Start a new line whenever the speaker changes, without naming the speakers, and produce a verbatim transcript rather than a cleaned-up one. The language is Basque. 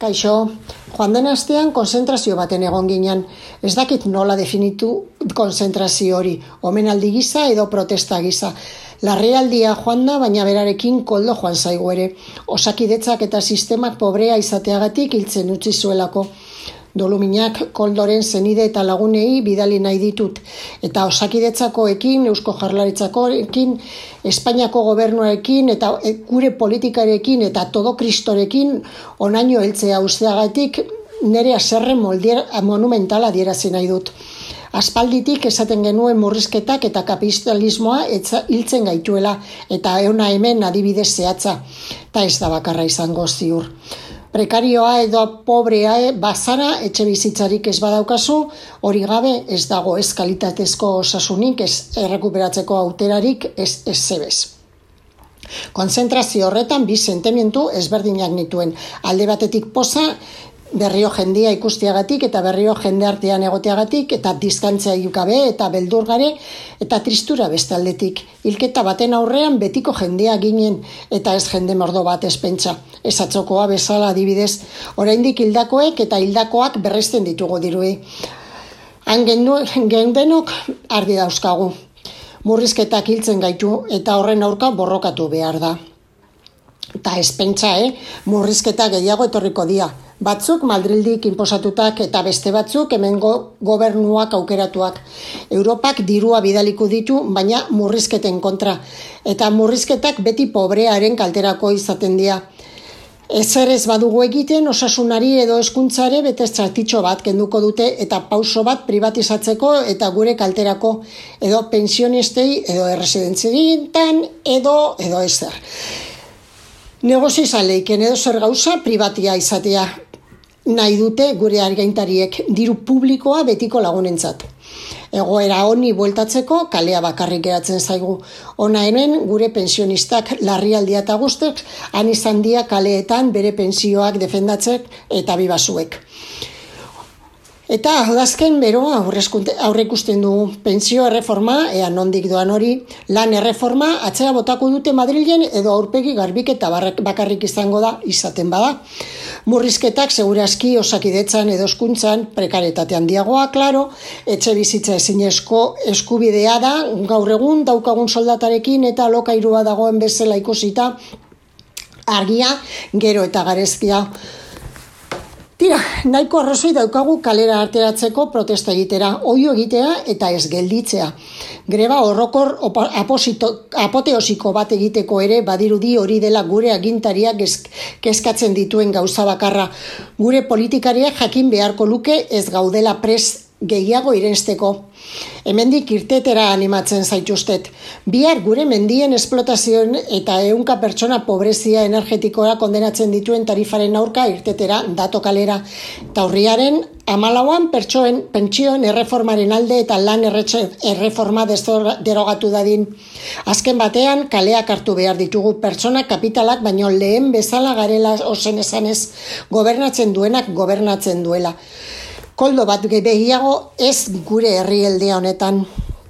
Kaixo, joan den astean konzentrazio baten egon ginen. Ez dakit nola definitu konzentrazio hori, omenaldi gisa edo protesta gisa. Larrialdia joan da, baina berarekin koldo joan zaigu ere. Osakidetzak eta sistemak pobrea izateagatik hiltzen utzi zuelako. Doluminak koldoren zenide eta lagunei bidali nahi ditut. Eta osakidetzakoekin, Eusko Jaurlaritzakoekin, Espainiako gobernuarekin eta gure politikarekin eta todo kristorekin onaino heltzea usteagatik nire haserre monumentala adierazi nahi dut. Aspalditik esaten genuen murrizketak eta kapitalismoa hiltzen gaituela eta euna hemen adibidez zehatza. Eta ez da bakarra izango ziur. Prekarioa edo pobrea bazara etxe bizitzarik ez badaukazu, hori gabe ez dago ez kalitatezko osasunik, ez errekuperatzeko auterarik, ez ez zebez. Konzentrazio horretan bi sentimendu ezberdinak nituen. Alde batetik poza, berrio jendia ikustiagatik eta berrio jende artean egoteagatik eta dizkantzia gabe eta beldurgare eta tristura beste aldetik. Hilketa baten aurrean betiko jendea ginen eta ez jende mordo bat ez pentsa. Ez atzokoa bezala adibidez, oraindik hildakoek eta hildakoak berresten ditugu dirui. Han gendenok ardi dauzkagu. Murrizketak hiltzen gaitu eta horren aurka borrokatu behar da. Eta ez pentsa, eh? Murrizketa gehiago etorriko dia. Batzuk Madrildik inposatutak eta beste batzuk hemengo gobernuak aukeratuak. Europak dirua bidaliko ditu, baina murrizketen kontra. Eta murrizketak beti pobrearen kalterako izaten dira. Ezer ez badugu egiten osasunari edo hezkuntzare bete zatitxo bat kenduko dute eta pauso bat privatizatzeko eta gure kalterako edo pensionistei edo erresidentzietan edo edo ezer. Negozizaleiken edo zer gauza privatia izatea nahi dute gure argaintariek diru publikoa betiko lagunentzat. Egoera honi bueltatzeko kalea bakarrik geratzen zaigu. Ona hemen gure pensionistak larrialdia eta guztek han izan dia kaleetan bere pentsioak defendatzek eta bibasuek. Eta adazken beroa aurre ikusten dugu. Pentsio erreforma, ea nondik doan hori, lan erreforma atzera botako dute Madrilen edo aurpegi garbiketa bakarrik izango da izaten bada. Murrizketak segurazki osakidetzan edo hezkuntzan prekarietate handiagoa, klaro, etxe bizitza ezinezko eskubidea da, gaur egun daukagun soldatarekin eta alokairua dagoen bezala ikusita argia, gero eta garezkia. Tira, nahiko arrazoi daukagu kalera ateratzeko protesta egitera, oio egitea eta ez gelditzea. Greba horrokor apoteosiko bat egiteko ere badirudi hori dela gure agintariak kezkatzen dituen gauza bakarra. Gure politikariak jakin beharko luke ez gaudela prest gehiago irensteko. Hemendik irtetera animatzen zaituztet. Bihar gure mendien esplotazioen eta ehunka pertsona pobrezia energetikoa kondenatzen dituen tarifaren aurka irtetera dato kalera. Eta urriaren hamalauan pertsoen pentsioen erreformaren alde eta lan erreforma derogatu dadin. Azken batean kaleak hartu behar ditugu pertsona kapitalak baino lehen bezala garela ozen esanez gobernatzen duenak gobernatzen duela. Koldo bat gehiago ez gure herrialdea honetan.